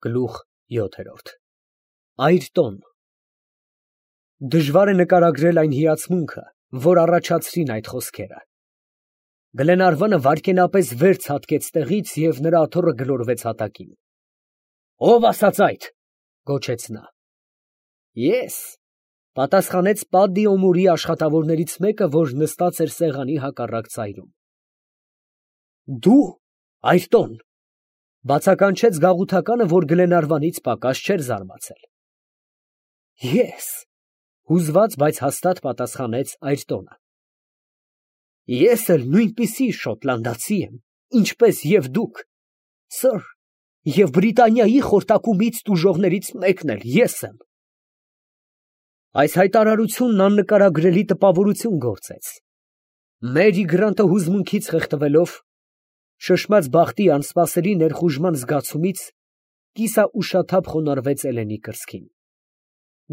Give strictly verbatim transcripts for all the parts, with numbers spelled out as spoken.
Գլուխ յոթ Այրտոն Դժվար է նկարագրել այն հիացմունքը, որ առաջացրին այդ խոսքերը։ Գլենարվանը վայրկենապես վեր ցատկեց տեղից և նրա աթոռը գլորվեց հատակին։ «Ո՞վ ասաց այդ» գոչեց նա։ «Ես», պատասխանեց Պադդի Օմուրի աշխատավորներից մեկը, որ նստած էր սեղանի հակառակ ծայրում։ «Դու, Այրտոն», բացականչեց գաղութականը, որ Գլենարվանից պակաս չէր զարմացել։ «Ես», հուզված, բայց հաստատ պատասխանեց Այրտոնը։ «Ես էլ նույնպիսի շոտլանդացի եմ, ինչպես և դուք, սըր, և Բրիտանիայի խորտակումից տուժողներից մեկն էլ ես եմ»։ Այս հայտարարությունն աննկարագրելի տպավորություն գործեց։ Մերի Գրանտը հուզմունքից խեղդվելով, շշմած բախտի անսպասելի ներխուժման զգացումից, կիսաուշաթափ խոնարհվեց Էլենի կրծքին։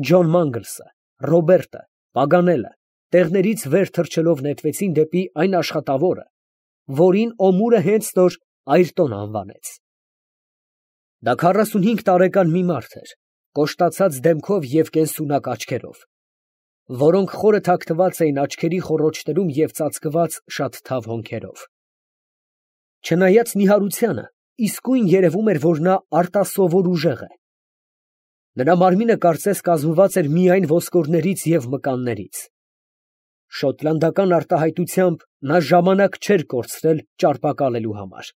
Ջոն Մանգլսը, Ռոբերտը, Պագանելը տեղներից վեր թռչելով նետվեցին դեպի այն աշխատավորը, որին Օմուրը հենց նոր Այրտոն անվանեց։ Դա քառասունհինգ տարեկան մի մարդ էր, կոշտացած դեմքով և կենսունակ աչքերով, որոնք խորը թաքնված էին աչքերի խոռոչներում և ծածկված շատ թավ հոնքերով։ Չնայած նիհարությանը, իսկույն երևում էր, որ նա արտասովոր ուժեղ է։ Նրա մարմինը կարծես կազմված էր միայն ոսկորներից և մկաններից։ Շոտլանդական արտահայտությամբ նա ժամանակ չէր կորցրել ճարպակալելու համար։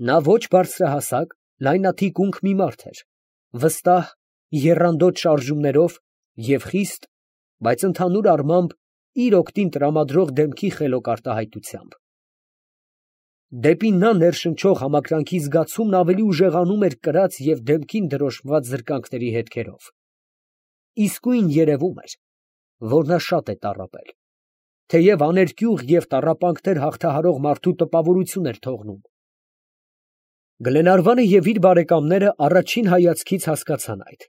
Նա ոչ բարձրահասակ, լայնաթիկունք մի մարդ էր, վստահ, եռանդոտ շարժումներով և խիստ, բայց ընդհանուր առմամբ իր օգտին տրամադրող դեմքի խելոք արտահայտությամբ։ Դեպի նա ներշնչող համակրանքի զգացումն ավելի ուժեղանում էր կրած և դեմքին դրոշմված զրկանքների հետքերով։ Իսկույն երևում էր, որ նա շատ է տառապել, թեև աներկյուղ և տառապանքներ հաղթահարող մարդու տպավորություն էր թողնում։ Գլենարվանը և իր բարեկամները առաջին հայացքից հասկացան այդ։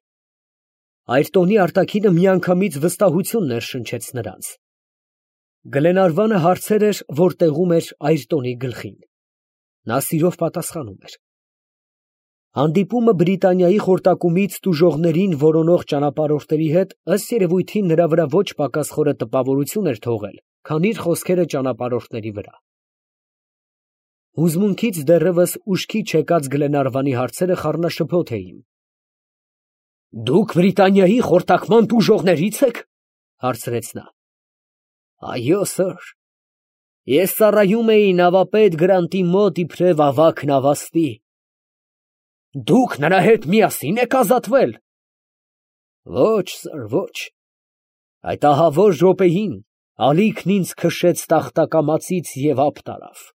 Այրտոնի արտաքինը միանգամից վստահություն ներշնչեց նրանց։ Գլենարվանը հարցեր էր, որ տեղում էր Այրտոնի գլխին։ Նա սիրով պատասխանում էր։ Հանդիպումը Բրիտանիայի խորտակումից տուժողներին որոնող ճանապարհորդների հետ ըստ երևույթին նրա վրա ոչ պակաս խորը տպավորություն էր թողել, քան իր խոսքերը ճանապարհորդների վրա։ Հուզմունքից դեռևս ուշքի չեկած Գլենարվանի հարցերը խառնաշփոթ էին։ «Դուք Բրիտանիայի խորտակման տուժողների՞ց եք» հարցրեց նա։ «Այո, սըր, ես ծառայում էի նավապետ Գրանտի մոտ իբրև ավագ նավաստի»։ «Դուք նրա հետ միասի՞ն եք ազատվել»։ «Ոչ, սըր, ոչ, այդ ահավոր րոպեին ալիքն ինձ քշեց տախտակամածից և ափ տարավ»։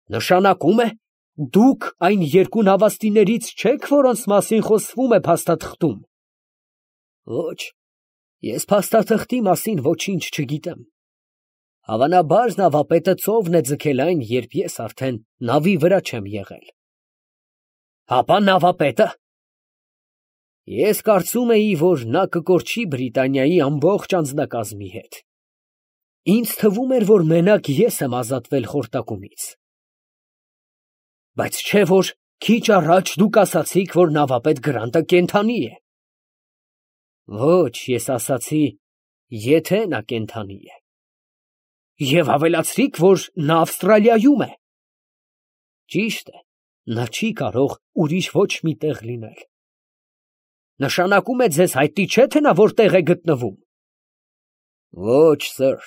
«Նշանակում է, դուք այն երկու նավաստիներից չեք, որոնց մասին խոսվում է փաստաթղթում»։ «Ոչ, ես փաստաթղթի մասին ոչինչ չգիտեմ։ Հավանաբար նավապետը ծովն է ձգել այն, երբ ես արդեն նավի վրա չեմ եղել»։ «Հապա նավապետը»։ «Ես կարծում էի, որ նա կկորչի Բրիտանիայի ամբողջ անձնակազմի հետ։ Ինձ թվում էր, որ մենակ ես եմ ազատվել խորտակումից»։ «Բայց չէ՞ որ քիչ առաջ դուք ասացիք, որ նավապետ Գրանտը կենդանի է»։ «Ոչ, ես ասացի, եթե նա կենդանի է»։ «Եվ ավելացրիք, որ նա Ավստրալիայում է»։ «Ճիշտ է, նա չի կարող ուրիշ ոչ մի տեղ լինել»։ «Նշանակում է, ձեզ հայտնի չէ, թե նա որտեղ է գտնվում»։ «Ոչ, սըր,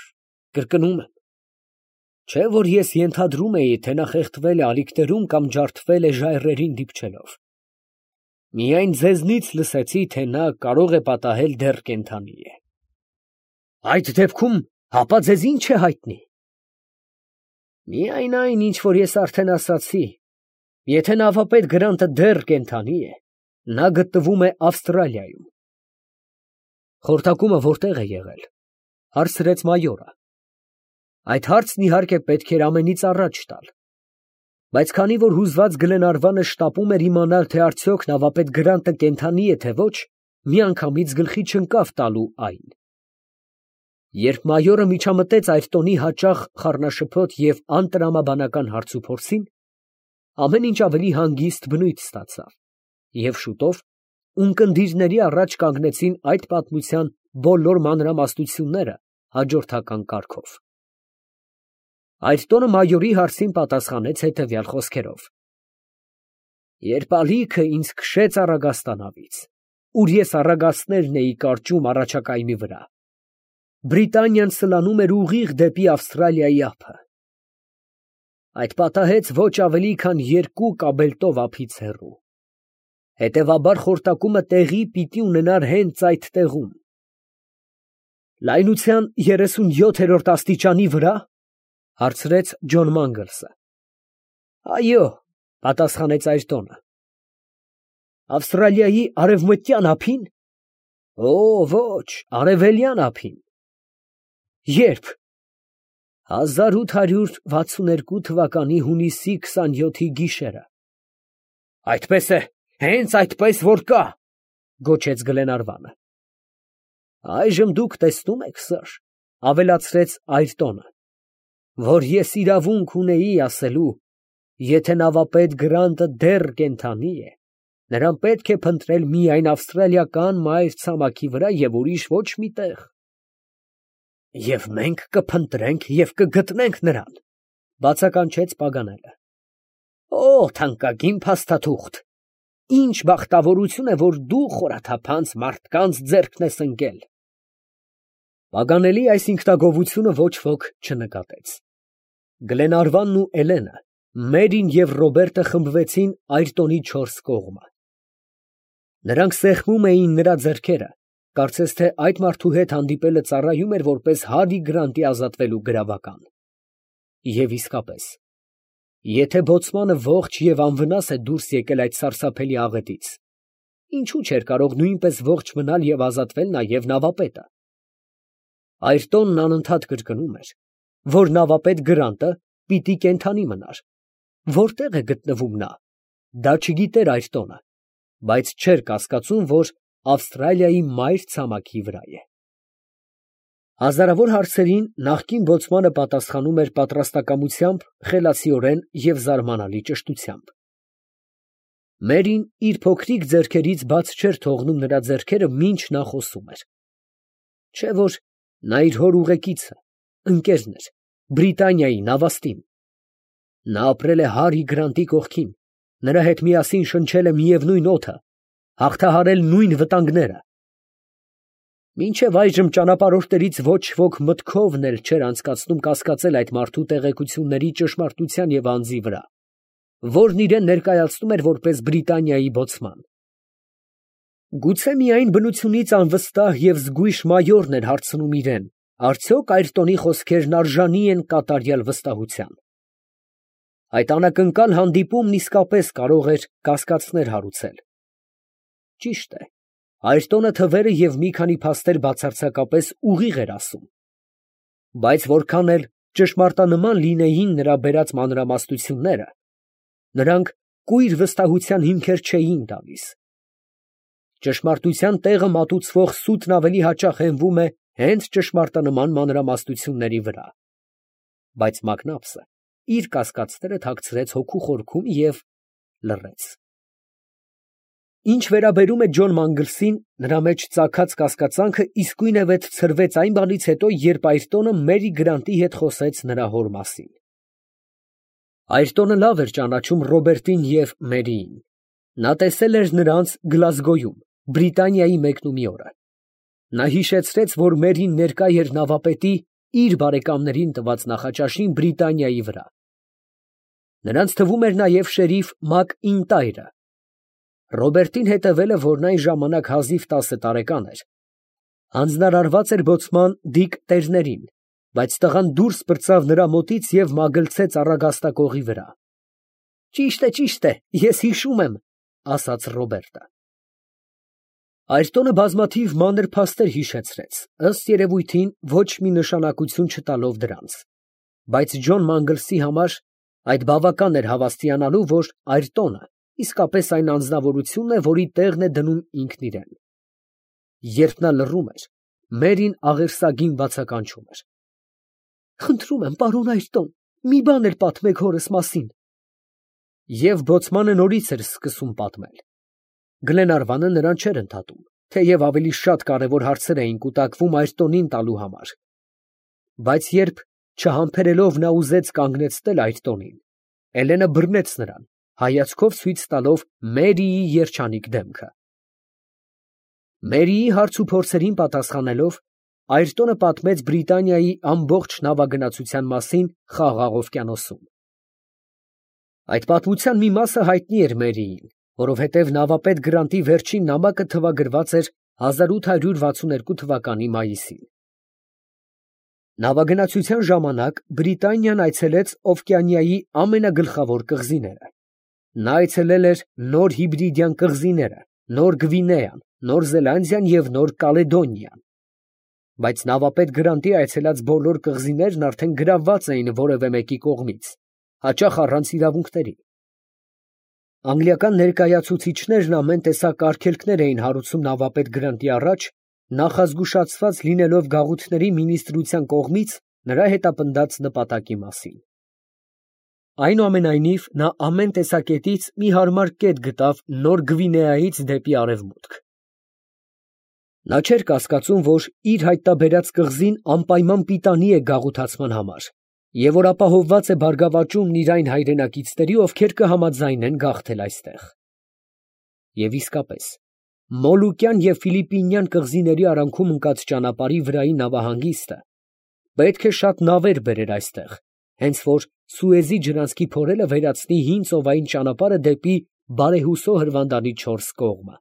կրկնում եմ, չէ՞ որ ես ենթադրում էի, թե նա խեղդվել է ալիքներում կամ ջարդվել է ժայռերին դիպչելով։ Միայն ձեզնից լսեցի, թե նա կարող է պատահել դեռ կենդանի է»։ «Այդ դեպքում հապա ձեզ ի՞նչ է հայտնի»։ «Միայն այն, ինչ որ ես արդեն ասացի. եթե նավապետ Գրանտը դեռ կենդանի է, նա գտնվում է Ավստրալիայում»։ «Խորտակումը որտե՞ղ է եղել», հարցրեց մայորը։ Այդ հարցն իհարկե պետք էր ամենից առաջ տալ, բայց քանի որ հուզված Գլենարվանը շտապում էր իմանալ, թե արդյոք նավապետ Գրանտը կենդանի է, թե ոչ, միանգամից գլխի չընկավ տալու այն։ Երբ մայորը միջամտեց Այրտոնի հաճախ խառնաշփոթ և անտրամաբանական հարցուփորձին, ամեն ինչ ավելի հանգիստ բնույթ ստացավ։ Եվ շուտով ունկնդիրների առաջ կանգնեցին այդ պատմության բոլոր մանրամասնությունները հաջորդական կարգով։ Այդ տոնը մայորի հարցին պատասխանեց հետևյալ խոսքերով. «Երբ ալիքը ինձ քշեց Առագաստանավից, ուր ես առագաստներն էի կարճում առաջակայմի վրա, Բրիտանիան սլանում էր ուղիղ դեպի Ավստրալիայի ափը։ Այդ պատահեց ոչ ավելի քան երկու կաբելտով ափից հեռու։ Հետևաբար խորտակումը տեղի պիտի ունենար հենց այդ տեղում»։ «Լայնության երեսունյոթերորդ աստիճանի վրա» հարցրեց Ջոն Մանգլսը։ «Այո», պատասխանեց Այրտոնը։ «Ավստրալիայի արևմտյան ափի՞ն»։ «Օ, ոչ, արևելյան ափին»։ «Ե՞րբ»։ հազար ութ հարյուր վաթսուներկու թվականի հունիսի քսանյոթի գիշերը։ «Այդպես է, հենց այդպես որ կա», գոչեց Գլենարվանը։ «Այժմ դուք տեսնում եք, սըր, ավելացրեց Այրտոնը, որ ես իրավունք ունեի ասելու, եթե նավապետ Գրանտը դեռ կենդանի է, նրան պետք է փնտրել միայն ավստրալիական մայրցամաքի վրա և ուրիշ ոչ մի տեղ»։ «Եվ մենք կփնտրենք և կգտնենք նրան», բացականչեց Պագանելը։ «Օ, թանկագին փաստաթուղթ, ինչ բախտավորություն է, որ դու խորաթափանց մարդկանց ձեռքն ես ընկել»։ Պագանելի այս ինքնագովությունը ոչ ոք չնկատեց։ Գլենարվանն ու Էլենը, Մերին և Ռոբերտը խմբվեցին Այրտոնի չորս կողմը։ Նրանք սեղմում էին նրա ձեռքերը, կարծես թե այդ մարդու հետ հանդիպելը ծառայում էր որպես Հարի Գրանտի ազատվելու գրավական։ Եվ իսկապես, եթե բոցմանը ողջ և անվնաս է դուրս եկել այդ սարսափելի աղետից, ինչու չէր կարող նույնպես ողջ մնալ և ազատվել նաև նավապետը։ Այրտոնն անընդհատ կրկնում էր, որ նավապետ Գրանտը պիտի կենդանի մնար։ Որտեղ է գտնվում նա, դա չգիտեր Այրտոնը, բայց չէր կասկածում, որ Ավստրալիայի մայրցամաքի վրա է։ Հազարավոր հարցերին նախկին բոցմանը պատասխանում էր պատրաստակամությամբ, խելացիորեն և զարմանալի ճշտությամբ։ Մերին իր փոքրիկ ձեռքերից բաց չէր թողնում նրա ձեռքերը, մինչ նա խոսում էր։ Չէ՞ որ նա իր հոր ուղեկիցը, ընկերն էր, Բրիտանիայի նավաստին։ Նա ապրել է Հարի Գրանտի կողքին, նրա հետ միասին շնչել է միևնույն օդը, հաղթահարել նույն վտանգները։ Մինչև այժմ ճանապարհորդներից ոչ ոք մտքովն էլ չէր անցկացնում կասկածել այդ մարդու տեղեկությունների ճշմարտության և անձի վրա, որն իրան ներկայացնում էր որպես Բրիտանիայի բոցման։ Գուցե միայն բնությունից անվստահ և զգույշ մայորն էր հարցնում իրան, արդյոք Այրտոնի խոսքերն արժանի են կատարյալ վստահության։ Այդ անակնկալ հանդիպումն իսկապես կարող էր կասկածներ հարուցել։ Ճիշտ է, Այրտոնը թվերը և մի քանի փաստեր բացարձակապես ուղիղ էր ասում, բայց որքան էլ ճշմարտանման լինեին նրա բերած մանրամասնությունները, նրանք կույր վստահության հիմքեր չէին տալիս։ Ճշմարտության տեղը մատուցվող սուտն ավելի հաճախ հենվում է հենց ճշմարտանման մանրամասնությունների վրա։ Բայց Մակնաբսը իր կասկածները թաքցրեց հոգու խորքում և լռեց։ Ինչ վերաբերում է Ջոն Մանգլսին, նրա մեջ ծագած կասկածանքը իսկույնևեթ ցրվեց այն բանից հետո, երբ Այրտոնը Մերի Գրանտի հետ խոսեց նրա հոր մասին։ Այրտոնը լավ էր ճանաչում Ռոբերտին և Մերիին։ Նա տեսել էր նրանց Գլազգոյում, Բրիտանիայի մեկնումի օրը։ Նա հիշեցրեց, որ Մերին ներկա էր նավապետի իր բարեկամներին տված նախաճաշին Բրիտանիայի վրա։ Նրանց թվում էր նաև շերիֆ Մակ Ինտայրը։ Ռոբերտին հետևել է, որն այն ժամանակ հազիվ տասը տարեկան էր։ Հանձնարարված էր բոցման Դիկ տերներին, բայց տղան դուրս պրծավ նրա մոտից և մագլցեց առագաստակողի վրա։ «Ճիշտ է, ճիշտ է, ես հիշում եմ», ասաց Ռոբերտը։ Այրտոնը բազմաթիվ մանր փաստեր հիշեցրեց, ըստ երևույթին ոչ մի նշանակություն չտալով դրանց, բայց Ջոն Մանգլսի համար այդ բավական էր հավաստիանալու, որ Այրտոնը իսկապես այն անձնավորությունն է, որի տեղն է դնում ինքն իրան։ Երբ նա լռում էր, Մերին աղերսագին բացականչում էր. «Խնդրում եմ, պարոն Այրտոն, մի բան էլ պատմեք հորս մասին»։ Եվ բոցմանը նորից էր սկսում պատմել։ Գլենարվանը նրան չէր ընդհատում, թեև ավելի շատ կարևոր հարցեր էին կուտակվում Այրտոնին տալու համար, բայց երբ չհամբերելով նա ուզեց կանգնեցնել Այրտոնին, Էլենը բռնեց նրան, հայացքով ցույց տալով Մերիի երջանիկ դեմքը։ Մերիի հարց ու փորձերին պատասխանելով, Այրտոնը պատմեց Բրիտանիայի ամբողջ նավագնացության մասին Խաղաղ օվկիանոսում։ Այդ պատմության մի մասը հայտնի էր Մերիին, որովհետև նավապետ Գրանտի վերջին նամակը թվագրված էր հազար ութ հարյուր վաթսունութ թվականի մայիսին։ Նավագնացության ժամանակ Բրիտանիան այցելեց Օվկիանիայի ամենագլխավոր կղզիները։ Նա այցելել էր Նոր Հիբրիդյան կղզիները, Նոր Գվինեան, Նոր Զելանդիան և Նոր Կալեդոնիան։ Բայց նավապետ Գրանտի այցելած բոլոր կղզիներն արդեն գրավված էին որևէ մեկի կողմից, հաճախ առանց իրավունքների։ Անգլիական ներկայացուցիչներն ամեն տեսակ արգելքներ էին հարուցում նավապետ Գրանտի առաջ, նախազգուշացված լինելով գաղութների մինիստրության կողմից նրա հետապնդած նպատակի մասին։ Այնուամենայնիվ, նա ամեն տեսակետից մի հարմար կետ գտավ Նոր Գվինեայից դեպի արևմուտք։ Նա չէր կասկածում, որ իր հայտնաբերած կղզին անպայման պիտանի է գաղութացման համար, և որ ապահովված է բարգավաճումն իր այն հայրենակիցների, ովքեր կհամաձայնեն գաղթել այստեղ։ Եվ իսկապես, Մոլուկյան և Ֆիլիպպինյան կղզիների արանքում ընկած ճանապարհի վրայի նավահանգիստը պետք է շատ նավեր բերեր այստեղ, հենց որ Սուեզի ջրանցքի փորելը վերացնի հին ծովային ճանապարհը դեպի բարեհուսո հրվանդանի չորս կողմը։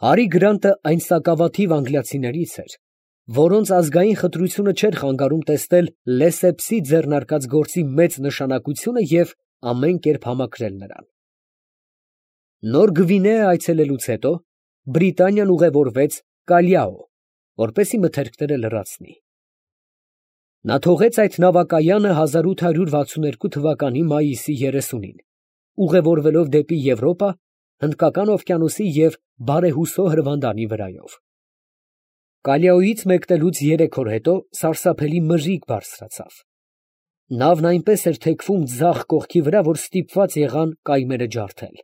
Հարի Գրանտը այն սակավաթիվ անգլիացիներից էր, որոնց ազգային խտրությունը չէր խանգարում տեսնել Լեսեփսի ձեռնարկած գործի մեծ նշանակությունը և ամեն կերպ համակրել նրան։ Նոր Գվինեա այցելելուց հետո Բրիտանիան ուղևորվեց Կալիաո, որպեսզի մթերքները լրացնի։ Նա թողեց այդ նավակայանը հազար ութ հարյուր վաթսունութ թվականի մայիսի երեսունին, ուղևորվելով դեպի Եվրոպա, Հնդկական օվկիանոսի և բարեհուսո հրվանդանի վրայով։ Կալիաոյից մեկնելուց երեք օր հետո սարսափելի մրրիկ բարձրացավ։ Նավն այնպես էր թեքվում ձախ կողքի վրա, որ ստիպված եղան կայմերը ջարդել։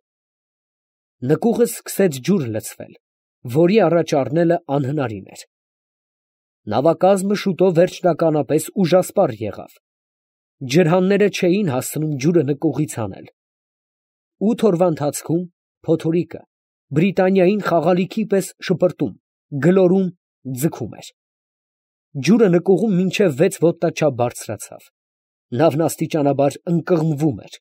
Նկուղը սկսեց ջուր լցվել, որի առաջ առնելը անհնարին էր։ Նավակազմը շուտով վերջնականապես ուժասպառ եղավ։ Ջրհանները չէին հասցնում ջուրը նկուղից հանել։ Ութ օրվա ընթացքում փոթորիկը Բրիտանիային խաղալիքի պես շպրտում, գլորում, ձգում էր։ Ջուրը նկուղում մինչև վեց ոտնաչափ բարձրացավ։ Նավն աստիճանաբար ընկղմվում էր,